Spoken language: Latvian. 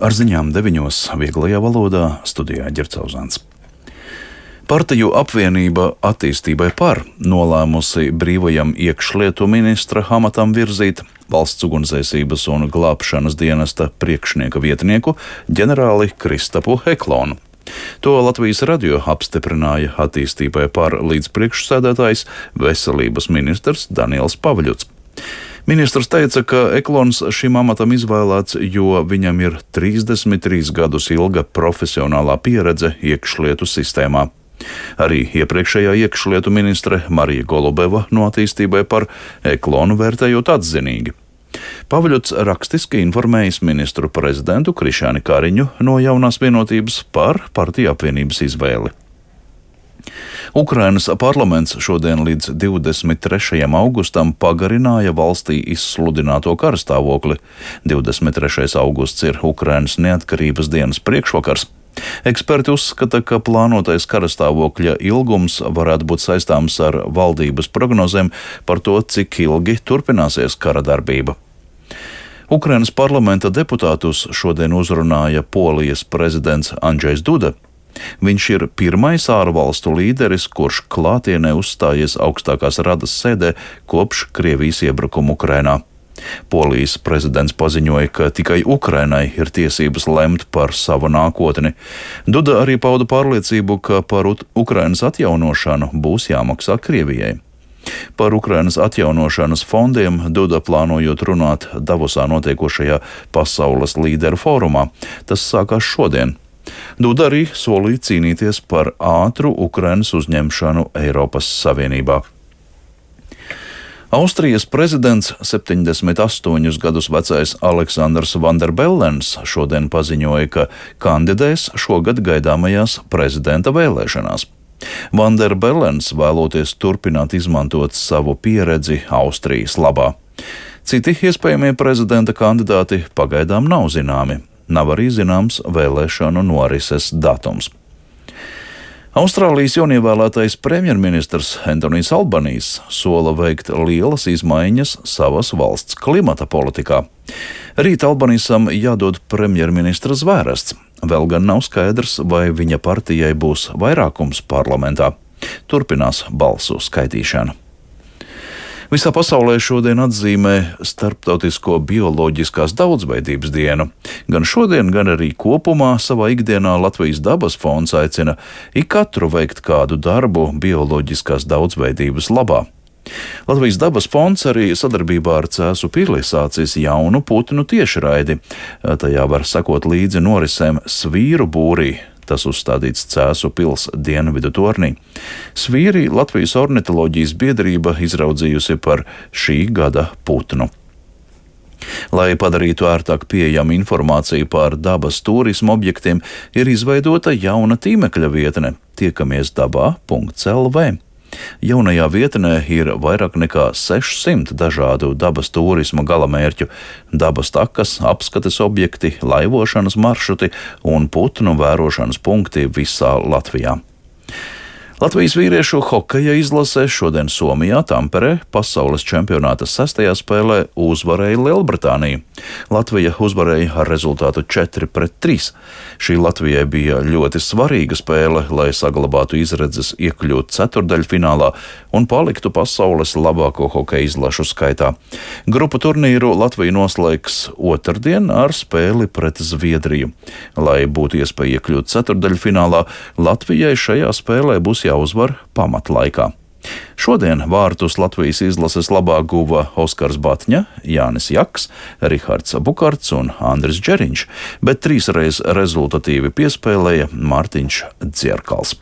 Ar ziņām 9. vieglajā valodā studijā Ģercauzāns. Partiju apvienība attīstībai par nolēmusi brīvajam iekšlietu ministra amatam virzīt Valsts ugunsdzēsības un glābšanas dienesta priekšnieka vietnieku ģenerāli Kristapu Eklonu. To Latvijas radio apstiprināja attīstībai par līdzpriekšsēdētājs veselības ministrs Daniels Pavļuts. Ministrs teica, ka Eklons šim amatam izvēlēts, jo viņam ir 33 gadus ilga profesionālā pieredze iekšlietu sistēmā. Arī iepriekšējā iekšlietu ministre Marija Golubeva no attīstībai par Eklonu vērtējot atzinīgi. Pavļuts rakstiski informējis ministru prezidentu Krišjāni Kariņu no Jaunās vienotības par partiju apvienības izvēli. Ukrainas parlaments šodien līdz 23. augustam pagarināja valstī izsludināto karstāvokli. 23. augusts ir Ukrainas neatkarības dienas priekšvakars. Eksperti uzskata, ka plānotais karstāvokļa ilgums varētu būt saistāms ar valdības prognozēm par to, cik ilgi turpināsies kara darbība. Ukrainas parlamenta deputātus šodien uzrunāja Polijas prezidents Andžejs Duda. Viņš ir pirmais ārvalstu līderis, kurš klātienē uzstājies augstākās radas sēdē kopš Krievijas iebrukuma Ukrainā. Polijas prezidents paziņoja, ka tikai Ukrainai ir tiesības lemt par savu nākotni. Duda arī pauda pārliecību, ka par Ukrainas atjaunošanu būs jāmaksā Krievijai. Par Ukrainas atjaunošanas fondiem Duda plānojot runāt Davosā notiekošajā pasaules līderu fórumā. Tas sākās šodien. Duda arī solīja cīnīties par ātru Ukrainas uzņemšanu Eiropas Savienībā. Austrijas prezidents 78 gadus vecais Aleksandrs Vanderbellens šodien paziņoja, ka kandidēs šogad gaidāmajās prezidenta vēlēšanās. Vanderbellens vēloties turpināt izmantot savu pieredzi Austrijas labā. Citi iespējamie prezidenta kandidāti pagaidām nav zināmi. Nav arī zināms vēlēšanu norises datums. Austrālijas jaunievēlētais premjerministrs Antonijs Albanijs sola veikt lielas izmaiņas savas valsts klimata politikā. Rīt Albanijam jādod premjerministra zvērests. Vēl gan nav skaidrs, vai viņa partijai būs vairākums parlamentā. Turpinās balsu skaitīšana. Visā pasaulē šodien atzīmē Starptautisko bioloģiskās daudzveidības dienu. Gan šodien, gan arī kopumā savā ikdienā Latvijas dabas fonds aicina ik katru veikt kādu darbu bioloģiskās daudzveidības labā. Latvijas dabas fonds arī sadarbībā ar Cēsu pili sācis jaunu putnu tiešraidi. Tajā var sekot līdzi norisēm Svīru būrī. Tas uzstādīts Cēsu pils dienvidu tornī. Svīri Latvijas ornitoloģijas biedrība izraudzījusi par šī gada putnu. Lai padarītu ērtāk pieejamu informāciju par dabas turismu objektiem, ir izveidota jauna tīmekļa vietne tiekamiesdabā.lv. Jaunajā vietnē ir vairāk nekā 600 dažādu dabas turisma galamērķu, dabas takas, apskates objekti, laivošanas maršruti un putnu vērošanas punkti visā Latvijā. Latvijas vīriešu hokeja izlase šodien Somijā, Tamperē, pasaules čempionāta 6. spēlē uzvarēja Lielbritāniju. Latvija uzvarēja ar rezultātu 4-3. Šī Latvijai bija ļoti svarīga spēle, lai saglabātu izredzes iekļūt ceturdaļfinālā un paliktu pasaules labāko hokeja izlašu skaitā. Grupu turnīru Latvija noslēgs otrdien ar spēli pret Zviedriju. Lai būtu iespēja iekļūt ceturdaļfinālā, Latvijai šajā spēlē būs jāuzvar pamatlaikā. Šodien vārtus Latvijas izlases labā guva Oskars Batņa, Jānis Jaks, Rihards Bukarts un Andris Džeriņš, bet trīsreiz rezultatīvi piespēlēja Mārtiņš Dzierkals.